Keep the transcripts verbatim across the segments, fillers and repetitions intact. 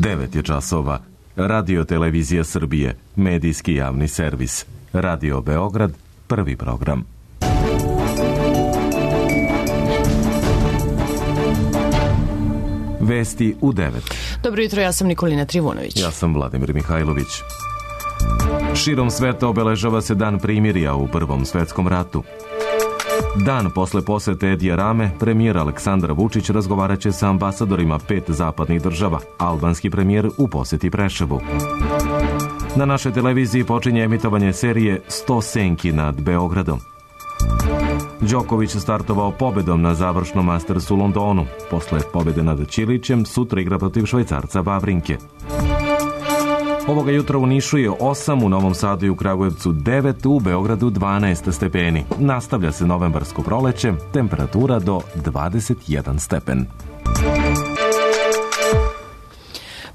devet je časova. Radio Televizija Srbije, medijski javni servis. Radio Beograd, prvi program. Vesti u devet. Dobro jutro, ja sam Nikolina Trivunović. Ja sam Vladimir Mihajlović. Širom sveta obeležava se Dan primirja u Prvom svetskom ratu. Dan posle posete Edija Rame, premijer Aleksandar Vučić razgovaraće sa ambasadorima pet zapadnih država. Albanski premijer u poseti Preševu. Na našoj televiziji počinje emitovanje serije sto senki nad Beogradom. Đoković startovao pobedom na završnom Mastersu u Londonu. Posle pobede nad Ćilićem, sutra igra protiv Švajcarca Vavrinke. Ovoga jutra u Nišu je osam, u Novom Sadu i u Kragujevcu devet, u Beogradu dvanaest stepeni. Nastavlja se novembarsko proleće, temperatura do dvadeset jedan stepen.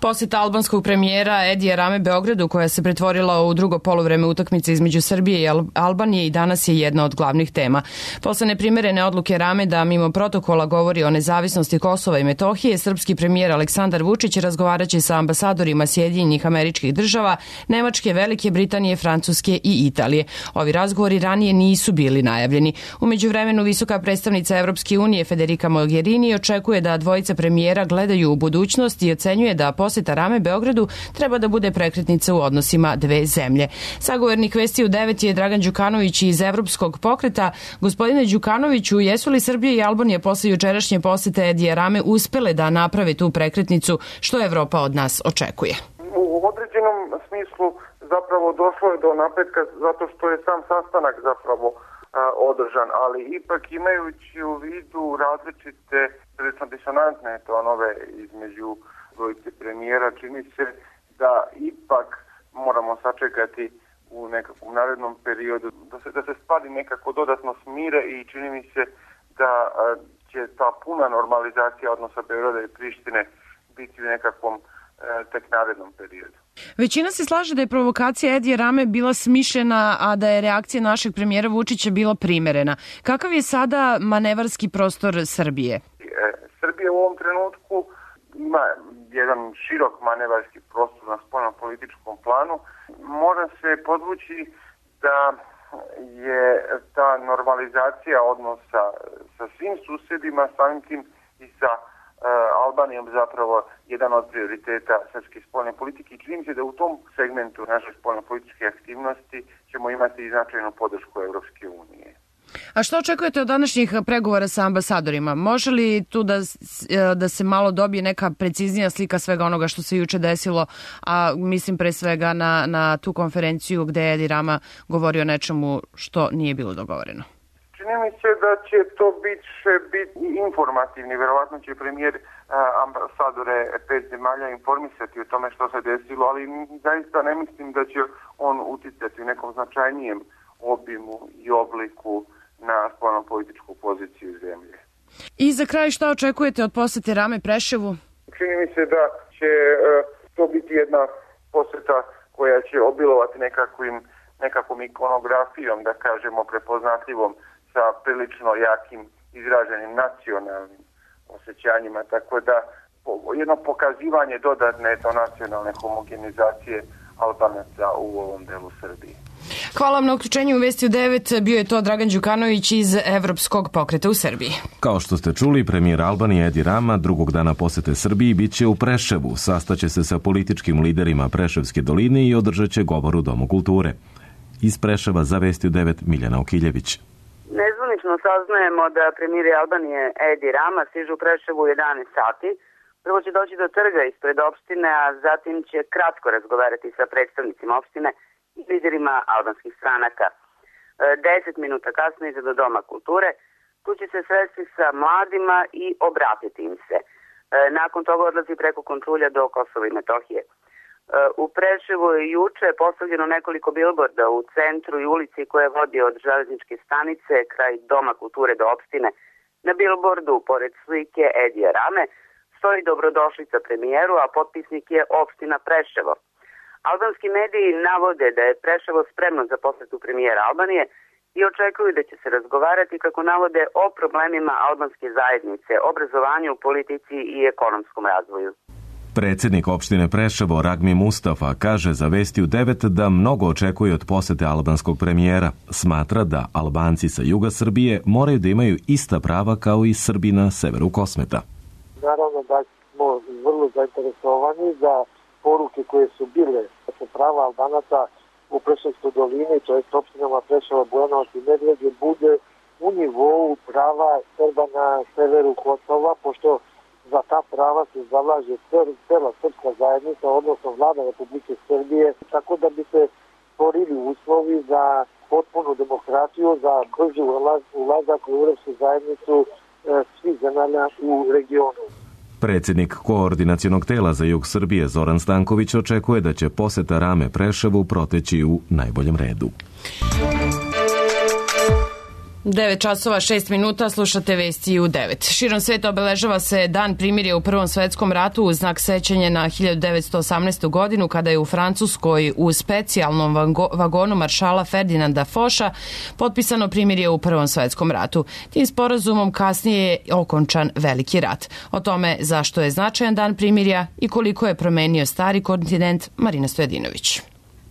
Poseta albanskog premijera Edija Rame Beogradu, koja se pretvorila u drugo poluvreme utakmice između Srbije i Albanije, i danas je jedna od glavnih tema. Posle neprimerene odluke Rame da mimo protokola govori o nezavisnosti Kosova i Metohije, srpski premijer Aleksandar Vučić razgovaraće sa ambasadorima Sjedinjenih Američkih Država, Nemačke, Velike Britanije, Francuske i Italije. Ovi razgovori ranije nisu bili najavljeni. U međuvremenu visoka predstavnica Evropske unije Federica Mogherini očekuje da dvojica premijera gledaju u budućnost i ocenjuje da poseta Rame Beogradu treba da bude prekretnica u odnosima dve zemlje. Sagovornik Vesti u devet je Dragan Đukanović iz Evropskog pokreta. Gospodine Đukanoviću, jesu li Srbija i Albanija posle jučerašnje posete Edija Rame uspele da naprave tu prekretnicu, što Evropa od nas očekuje? U određenom smislu zapravo došlo je do napretka zato što je sam sastanak zapravo a, održan, ali ipak imajući u vidu različite disonantne tonove između dvojice premijera, čini se da ipak moramo sačekati u nekakvom narednom periodu da se, da se stvari nekako dodatno smire i čini mi se da a, će ta puna normalizacija odnosa Beograda i Prištine biti u nekakvom a, tek narednom periodu. Većina se slaže da je provokacija Edija Rame bila smišljena, a da je reakcija našeg premijera Vučića bila primerena. Kakav je sada manevarski prostor Srbije? E, Srbija u ovom trenutku ima jedan širok manevarski prostor na spoljno-političkom planu. Mora se podvući da je ta normalizacija odnosa sa svim susedima, samim tim i sa uh, Albanijom zapravo jedan od prioriteta srpske spoljne politike i čini se da u tom segmentu naše spoljno-političke aktivnosti ćemo imati i značajnu podršku Evropske unije. A što očekujete od današnjih pregovora sa ambasadorima? Može li tu da, da se malo dobije neka preciznija slika svega onoga što se juče desilo, a mislim pre svega na, na tu konferenciju gde je Edi Rama govorio o nečemu što nije bilo dogovoreno? Čini mi se da će to biti, biti informativni. Verovatno će premijer ambasadore pet zemalja informisati o tome što se desilo, ali zaista ne mislim da će on uticati u nekom značajnijem obimu i obliku na spoljno-političku poziciju zemlje. I za kraj, šta očekujete od posete Rame Preševu? Čini mi se da će uh, to biti jedna poseta koja će obilovati nekakvim, nekakvom ikonografijom, da kažemo prepoznatljivom, sa prilično jakim izraženim nacionalnim osjećanjima, tako da jedno pokazivanje dodatne to nacionalne homogenizacije Albanaca u ovom delu Srbije. Hvala vam na uključenju u Vesti u devet. Bio je to Dragan Đukanović iz Evropskog pokreta u Srbiji. Kao što ste čuli, premijer Albanije Edi Rama drugog dana posete Srbiji biće u Preševu. Sastaće se sa političkim liderima Preševske doline i održat će govor u Domu kulture. Iz Preševa za Vesti u devet Miljana Okiljević. Nezvanično saznajemo da premijer Albanije Edi Rama stiže u Preševu u jedanaest sati. Prvo će doći do trga ispred opštine, a zatim će kratko razgovarati sa predstavnicima opštine i liderima albanskih stranaka. Deset minuta kasnije ide do Doma kulture. Tu će se sresti sa mladima i obratiti im se. Nakon toga odlazi preko kontrolja do Kosova i Metohije. U Preševu je juče postavljeno nekoliko bilborda u centru i ulici koje vodi od železničke stanice kraj Doma kulture do opštine. Na bilbordu, pored slike Edija Rame, stoji dobrodošlica premijeru, a potpisnik je opština Preševo. Albanski mediji navode da je Preševo spremno za posetu premijera Albanije i očekuju da će se razgovarati, kako navode, o problemima albanske zajednice, obrazovanju, politici i ekonomskom razvoju. Predsjednik opštine Preševo Ragmi Mustafa kaže za Vesti u devet da mnogo očekuje od posete albanskog premijera. Smatra da Albanci sa juga Srbije moraju da imaju ista prava kao i Srbi na severu Kosmeta. Naravno da smo vrlo zainteresovani za poruke koje su bile da se prava Albanaca u Preševskoj dolini, to je opštinama Preševo, Bujanovac i Medveđa, bude u nivou prava Srba na severu Kosova, pošto za ta prava se zalaže cela srpska zajednica, odnosno vlada Republike Srbije, tako da bi se stvorili uslovi za potpunu demokratiju, za brži ulazak u Evropsku zajednicu svih zemalja u regionu. Predsjednik koordinacionog tela za jug Srbije Zoran Stanković očekuje da će poseta Rame Preševu proteći u najboljem redu. devet časova šest minuta, slušate Vesti u devet. Širom sveta obeležava se Dan primirja u Prvom svetskom ratu u znak sećanja na hiljadu devetsto osamnaestu. godinu kada je u Francuskoj u specijalnom vagonu maršala Ferdinanda Foša potpisano primirje u Prvom svetskom ratu. Tim sporazumom kasnije je okončan Veliki rat. O tome zašto je značajan Dan primirja i koliko je promenio stari kontinent, Marina Stojadinović.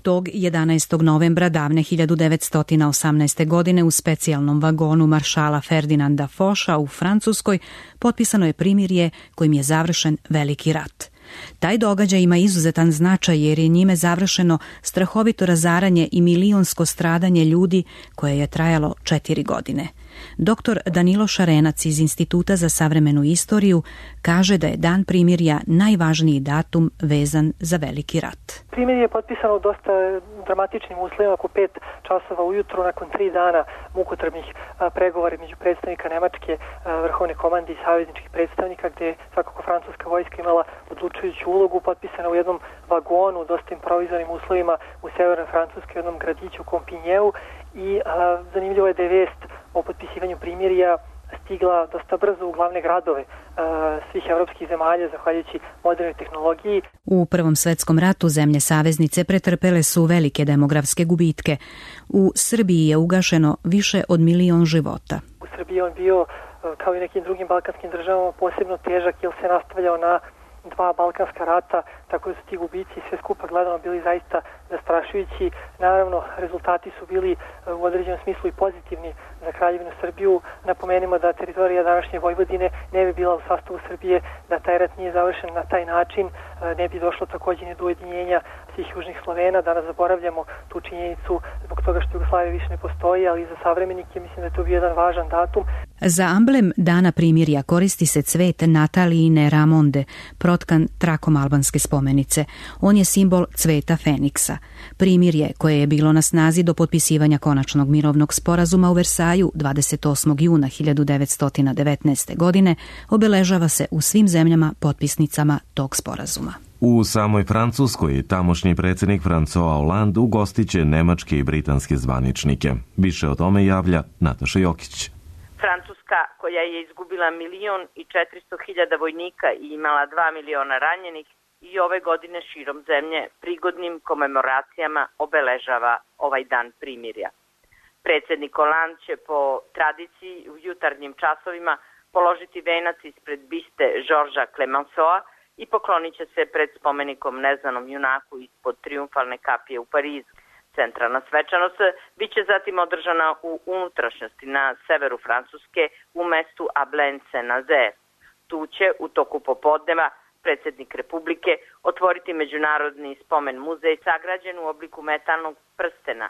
Tog jedanaestog novembra davne hiljadu devetsto osamnaeste. godine u specijalnom vagonu maršala Ferdinanda Foša u Francuskoj potpisano je primirje kojim je završen Veliki rat. Taj događaj ima izuzetan značaj jer je njime završeno strahovito razaranje i milionsko stradanje ljudi koje je trajalo četiri godine. Doktor Danilo Šarenac iz Instituta za savremenu istoriju kaže da je Dan primirja najvažniji datum vezan za Veliki rat. Primirje je potpisano u dosta dramatičnim uslovima, oko pet časova ujutru, nakon tri dana mukotrpnih pregovora među predstavnika Nemačke vrhovne komande i savezničkih predstavnika, gde je svakako francuska vojska imala odlučujuću ulogu, potpisana u jednom vagonu, dosta improvizovanim uslovima u severnoj Francuskoj, jednom gradiću Kompinjeu, i a, zanimljivo je da je vest o potpisivanju primirja stigla dosta brzo u glavne gradove a, svih evropskih zemalja, zahvaljujući modernoj tehnologiji. U Prvom svetskom ratu zemlje saveznice pretrpele su velike demografske gubitke. U Srbiji je ugašeno više od milion života. U Srbiji je on bio, kao i nekim drugim balkanskim državama, posebno težak jer se nastavljao na dva balkanska rata, tako da su ti gubici sve skupa gledano bili zaista zastrašujući. Naravno, rezultati su bili u određenom smislu i pozitivni za Kraljevinu Srbiju. Napomenimo da teritorija današnje Vojvodine ne bi bila u sastavu Srbije, da taj rat nije završen na taj način, ne bi došlo također ni do ujedinjenja svih južnih Slovena. Danas zaboravljamo tu činjenicu zbog toga što Jugoslavija više ne postoji, ali za savremenike mislim da je to bio jedan važan datum. Za amblem Dana primirja koristi se cvet Natalijine Ramonde, protkan trakom albanske spomenice. On je simbol cveta Feniksa. Primirje, koje je bilo na snazi do potpisivanja konačnog mirovnog sporazuma u Versaju dvadeset osmog juna hiljadu devetsto devetnaeste. godine, obeležava se u svim zemljama potpisnicama tog sporazuma. U samoj Francuskoj tamošnji predsjednik François Hollande ugostiće nemačke i britanske zvaničnike. Više o tome javlja Nataša Jokić. Francuska, koja je izgubila milion i četiristo hiljada vojnika i imala dva miliona ranjenih, i ove godine širom zemlje prigodnim komemoracijama obeležava ovaj dan primirja. Predsjednik Hollande će po tradiciji u jutarnjim časovima položiti venac ispred biste Georgesa Clemenceaua i poklonit će se pred spomenikom neznanom junaku ispod trijumfalne kapije u Parizu. Centralna svečanost biće zatim održana u unutrašnjosti na severu Francuske u mestu Ablain-Saint-Nazaire. Tu će u toku popodneva predsjednik Republike otvoriti međunarodni spomen muzej sagrađen u obliku metalnog prstena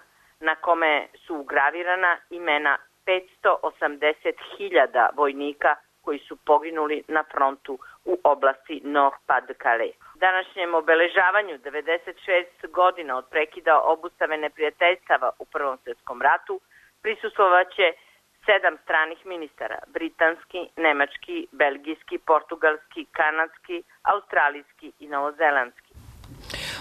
na kome su ugravirana imena petsto osamdeset hiljada vojnika koji su poginuli na frontu u oblasti Nord-Pas-de-Calais. Današnjem obeležavanju devedeset šest godina od prekida obustave neprijateljstava u Prvom svjetskom ratu prisustvovaće sedam stranih ministara, britanski, nemački, belgijski, portugalski, kanadski, australijski i novozelandski.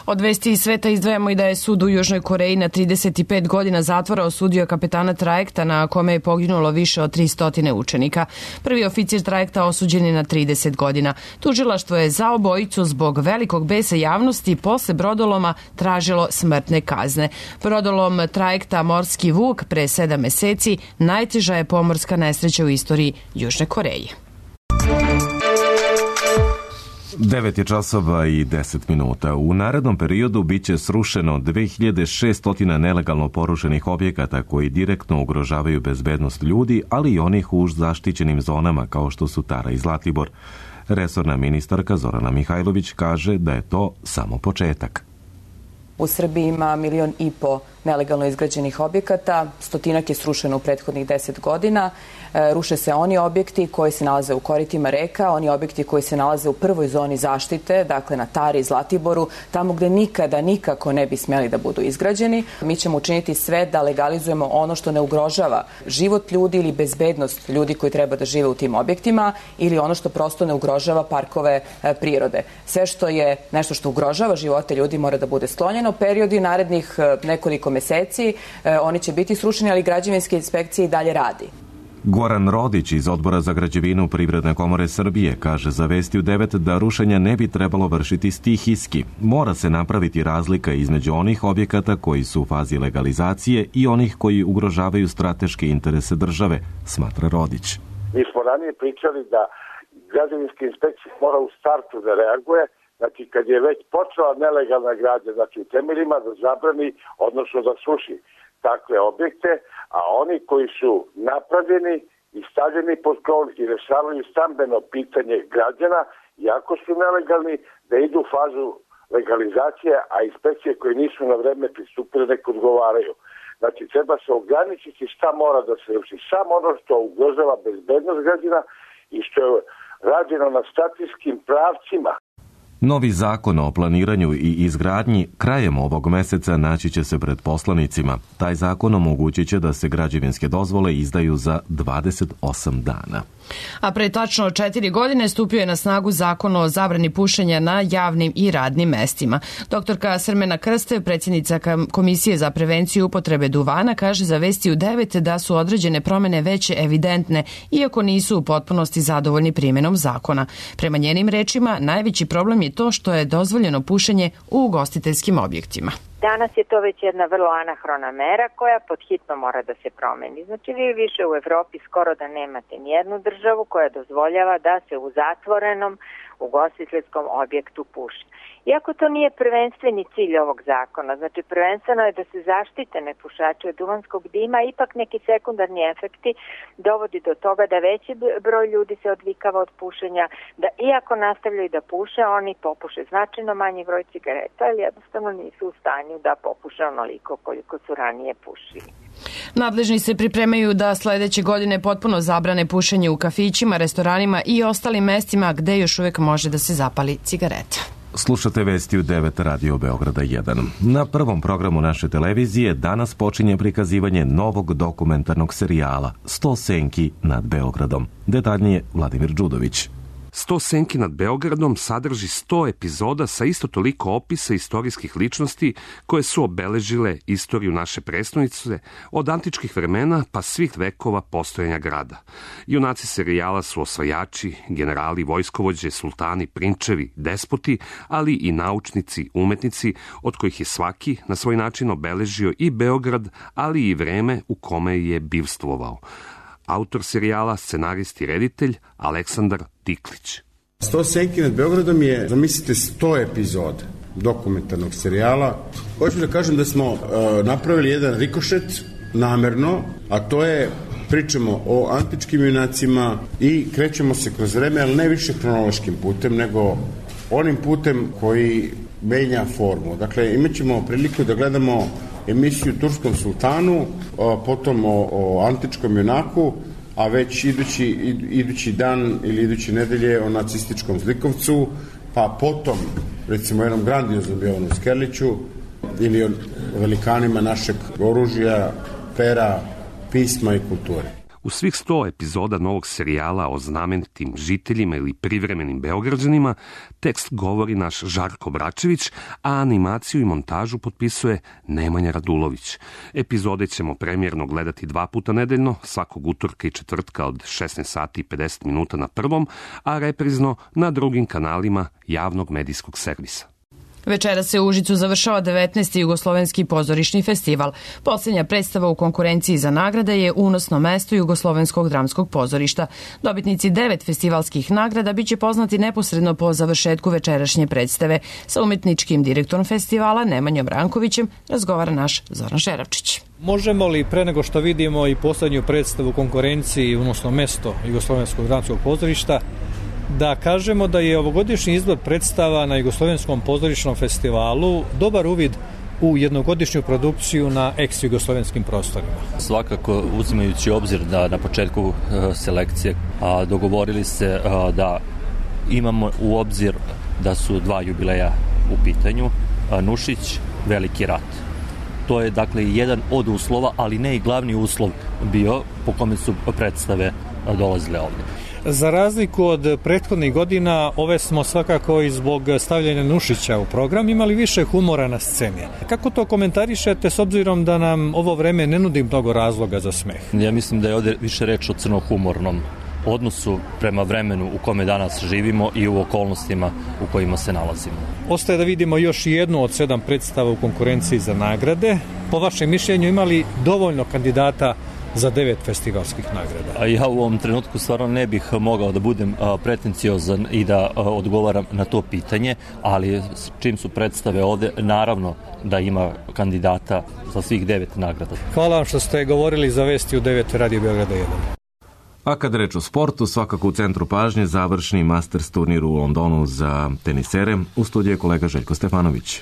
Od vesti iz sveta izdvajamo i da je sud u Južnoj Koreji na trideset pet godina zatvora osudio kapetana trajekta na kome je poginulo više od tristo učenika. Prvi oficir trajekta osuđen je na trideset godina. Tužilaštvo je za obojicu zbog velikog besa javnosti posle brodoloma tražilo smrtne kazne. Brodolom trajekta Morski Vuk pre sedam meseci najteža je pomorska nesreća u istoriji Južne Koreje. devet je časova i deset minuta. U narednom periodu biće srušeno dve hiljade šesto nelegalno porušenih objekata koji direktno ugrožavaju bezbednost ljudi, ali i onih u zaštićenim zonama kao što su Tara i Zlatibor. Resorna ministarka Zorana Mihajlović kaže da je to samo početak. U Srbiji ima milion i po nelegalno izgrađenih objekata, stotinak je srušeno u prethodnih deset godina. E, ruše se oni objekti koji se nalaze u koritima reka, oni objekti koji se nalaze u prvoj zoni zaštite, dakle na Tari i Zlatiboru, tamo gde nikada, nikako ne bi smeli da budu izgrađeni. Mi ćemo učiniti sve da legalizujemo ono što ne ugrožava život ljudi ili bezbednost ljudi koji treba da žive u tim objektima ili ono što prosto ne ugrožava parkove e, prirode. Sve što je nešto što ugrožava živote ljudi mora da bude sklonjeno. Periodi narednih e, nekoliko meseci, e, oni će biti srušeni, ali građevinske inspekcije i dalje radi. Goran Rodić iz Odbora za građevinu Privredne komore Srbije kaže za Vesti u devet da rušenja ne bi trebalo vršiti stihijski. Mora se napraviti razlika između onih objekata koji su u fazi legalizacije i onih koji ugrožavaju strateške interese države, smatra Rodić. Mi smo ranije pričali da građevinska inspekcija mora u startu da reaguje, znači kad je već počela nelegalna gradnja, znači u temeljima da zabrani, odnosno da sruši takve objekte, a oni koji su napravljeni i stavljeni pod krov i rešavaju stambeno pitanje građana, iako su nelegalni, da idu u fazu legalizacije, a inspekcije koje nisu na vreme pristupile nek odgovaraju. Znači treba se ograničiti šta mora da se ruši, samo ono što ugrožava bezbednost građana i što je rađeno na strateškim pravcima. Novi zakon o planiranju i izgradnji krajem ovog meseca naći će se pred poslanicima. Taj zakon omogućit će da se građevinske dozvole izdaju za dvadeset osam dana. A pre tačno četiri godine stupio je na snagu zakon o zabrani pušenja na javnim i radnim mestima. Doktorka Srmena Krste, predsjednica Komisije za prevenciju upotrebe duvana, kaže za Vesti u devet da su određene promene već evidentne, iako nisu u potpunosti zadovoljni primjenom zakona. Prema njenim rečima, najveći problem je to što je dozvoljeno pušenje u ugostiteljskim objektima. Danas je to već jedna vrlo anahrona mera koja pod hitno mora da se promeni. Znači vi više u Evropi skoro da nemate nijednu državu koja dozvoljava da se u zatvorenom ugostiteljskom objektu puši. Iako to nije prvenstveni cilj ovog zakona, znači prvenstveno je da se zaštite nepušači od duvanskog dima, ipak neki sekundarni efekti dovodi do toga da veći broj ljudi se odvikava od pušenja, da iako nastavljaju da puše, oni popuše značajno manji broj cigareta, ali jednostavno nisu u stanju da popuše onoliko koliko su ranije pušili. Nadležni se pripremaju da sledeće godine potpuno zabrane pušenje u kafićima, restoranima i ostalim mestima gde još uvek može da se zapali cigareta. Slušate Vesti u devet Radio Beograda jedan. Na prvom programu naše televizije danas počinje prikazivanje novog dokumentarnog serijala sto senki nad Beogradom. Detaljnije Vladimir Đudović. sto senki nad Beogradom sadrži sto epizoda sa isto toliko opisa istorijskih ličnosti koje su obeležile istoriju naše prestonice od antičkih vremena pa svih vekova postojanja grada. Junaci serijala su osvajači, generali, vojskovođe, sultani, prinčevi, despoti, ali i naučnici, umetnici, od kojih je svaki na svoj način obeležio i Beograd, ali i vreme u kome je bivstvovao. Autor serijala, scenarist i reditelj Aleksandar Diklić. sto senki nad Beogradom je, zamislite, sto epizoda dokumentarnog serijala. Hoću da kažem da smo uh, napravili jedan rikošet namerno, a to je pričamo o antičkim junacima i krećemo se kroz vreme, ali ne više hronološkim putem, nego onim putem koji menja formu. Dakle, imat ćemo priliku da gledamo emisiju Turskom sultanu, potom o, o antičkom junaku, a već idući, idući dan ili iduće nedelje o nacističkom zlikovcu, pa potom recimo jednom grandioznom Jovanu Skerliću ili o velikanima našeg oružja, pera, pisma i kulture. U svih sto epizoda novog serijala o znamenitim žiteljima ili privremenim Beograđanima tekst govori naš Žarko Bračević, a animaciju i montažu potpisuje Nemanja Radulović. Epizode ćemo premijerno gledati dva puta nedeljno, svakog utorka i četvrtka od šesnaest sati i pedeset minuta na prvom, a reprizno na drugim kanalima javnog medijskog servisa. Večera se u Užicu završava devetnaesti Jugoslovenski pozorišni festival. Posljednja predstava u konkurenciji za nagrade je Unosno mesto Jugoslovenskog dramskog pozorišta. Dobitnici devet festivalskih nagrada biće poznati neposredno po završetku večerašnje predstave. Sa umetničkim direktorom festivala Nemanjom Rankovićem razgovara naš Zoran Šeravčić. Možemo li pre nego što vidimo i posljednju predstavu u konkurenciji Unosno mesto Jugoslovenskog dramskog pozorišta da kažemo da je ovogodišnji izbor predstava na Jugoslovenskom pozorišnom festivalu dobar uvid u jednogodišnju produkciju na ex-jugoslovenskim prostorima? Svakako, uzimajući obzir da na početku uh, selekcije a, dogovorili se a, da imamo u obzir da su dva jubileja u pitanju, a, Nušić, Veliki rat. To je dakle jedan od uslova, ali ne i glavni uslov bio po kome su predstave a, dolazile ovdje. Za razliku od prethodnih godina, ove smo svakako i zbog stavljanja Nušića u program imali više humora na sceni. Kako to komentarišete s obzirom da nam ovo vreme ne nudi mnogo razloga za smeh? Ja mislim da je ovdje više reč o crnohumornom odnosu prema vremenu u kome danas živimo i u okolnostima u kojima se nalazimo. Ostaje da vidimo još jednu od sedam predstava u konkurenciji za nagrade. Po vašem mišljenju imali dovoljno kandidata za devet festivalskih nagrada? Ja u ovom trenutku stvarno ne bih mogao da budem pretenciozan i da odgovaram na to pitanje, ali čim su predstave ovde, naravno da ima kandidata za svih devet nagrada. Hvala vam što ste govorili za Vesti u devet Radio Beograda jedan. A kad reč o sportu, svakako u centru pažnje završni Masters turnir u Londonu za tenisere. U studiju je kolega Željko Stefanović.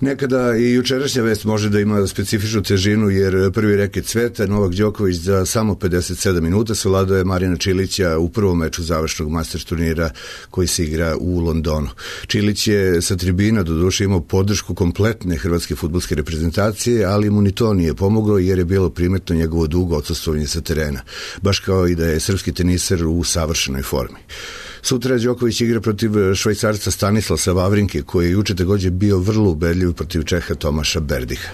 Nekada i jučerašnja vest može da ima specifičnu težinu, jer prvi reket sveta, Novak Đoković, za samo pedeset sedam minuta savladao je Marijana Čilića u prvom meču završnog Masters turnira koji se igra u Londonu. Čilić je sa tribina doduše imao podršku kompletne hrvatske fudbalske reprezentacije, ali mu ni to nije pomoglo jer je bilo primetno njegovo dugo odsustvovanje sa terena, baš kao i da je srpski teniser u savršenoj formi. Sutra Đoković igra protiv Švajcarca Stanislasa Vavrinke, koji je juče također bio vrlo ubedljiv protiv Čeha Tomaša Berdiha.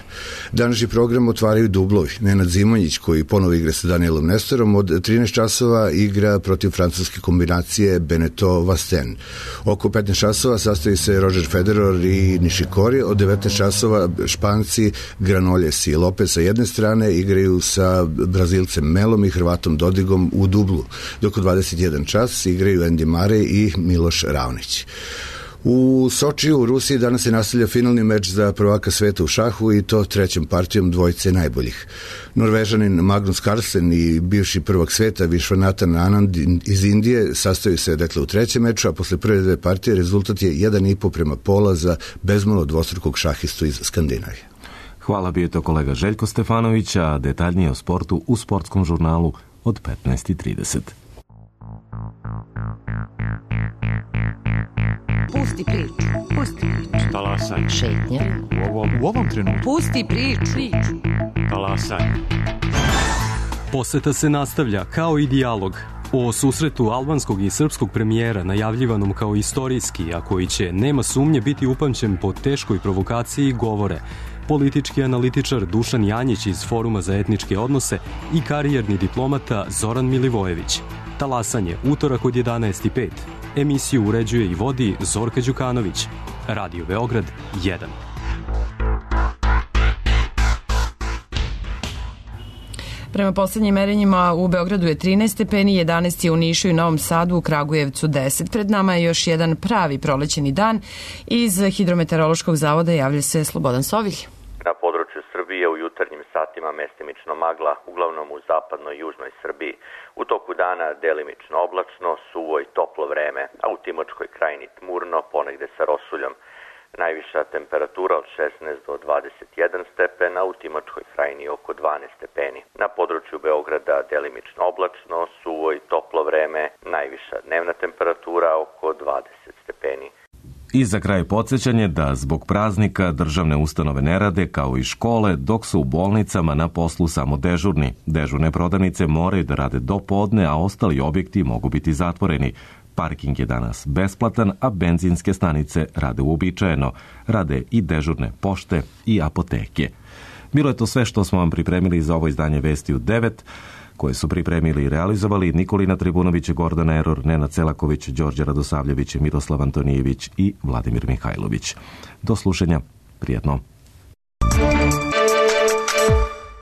Današnji program otvaraju dublovi. Nenad Zimonjić, koji ponovo igra sa Danielom Nestorom, od trinaest časova igra protiv francuske kombinacije Beneteau Vasten. Oko petnaest časova sastoji se Roger Federer i Nishikori, od devetnaest časova Španci Granoljes i Lopez sa jedne strane igraju sa Brazilcem Melom i Hrvatom Dodigom u dublu, dok u dvadeset jedan čas igraju Andy Murray i Miloš Raonić. U Sočiju u Rusiji danas se nastavlja finalni meč za prvaka sveta u šahu i to trećom partijom dvojice najboljih. Norvežanin Magnus Carlsen i bivši prvak sveta Vishwanathan Anand iz Indije sastaju se dakle u trećem meču, a posle prve dve partije rezultat je jedan i po prema pola za bezmalo dvostrukog šahistu iz Skandinavije. Hvala, bio je to kolega Željko Stefanović, a detaljnije o sportu u sportskom žurnalu od petnaest i trideset. Pusti priču. Pusti priču. Talasaj. Šetnja. U ovom, u ovom trenutku. Pusti priču. Talasaj. Poseta se nastavlja kao i dijalog. O susretu albanskog i srpskog premijera, najavljivanom kao istorijski, a koji će, nema sumnje, biti upamćen po teškoj provokaciji, govore politički analitičar Dušan Janjić iz Foruma za etničke odnose i karijerni diplomata Zoran Milivojević. Talasanje, utorak od jedanaest i pet. Emisiju uređuje i vodi Zorka Đukanović. Radio Beograd jedan. Prema poslednjim merenjima u Beogradu je trinaest stepeni, jedanaest je u Nišu i Novom Sadu, u Kragujevcu deset. Pred nama je još jedan pravi prolećeni dan. Iz Hidrometeorološkog zavoda javlja se Slobodan Sovilj. Na području Srbije u jutarnjim satima mestimično magla, uglavnom u zapadnoj i južnoj Srbiji. U toku dana delimično oblačno, suvo i toplo vreme, a u Timočkoj krajini tmurno, ponegde sa rosuljom. Najviša temperatura od šesnaest do dvadeset jedan stepen, a u Timočkoj krajini oko dvanaest stepeni. Na području Beograda delimično oblačno, suvo i toplo vreme, najviša dnevna temperatura oko dvadeset stepeni. I za kraj podsjećanje da zbog praznika državne ustanove ne rade kao i škole, dok su u bolnicama na poslu samo dežurni. Dežurne prodavnice moraju da rade do podne, a ostali objekti mogu biti zatvoreni. Parking je danas besplatan, a benzinske stanice rade uobičajeno. Rade i dežurne pošte i apoteke. Bilo je to sve što smo vam pripremili za ovo izdanje Vesti u devet. koje su pripremili i realizovali Nikolina Tribunović, Gordana Eror, Nenad Celaković, Đorđe Radosavljević, Miroslav Antonijević i Vladimir Mihajlović. Do slušanja, prijetno.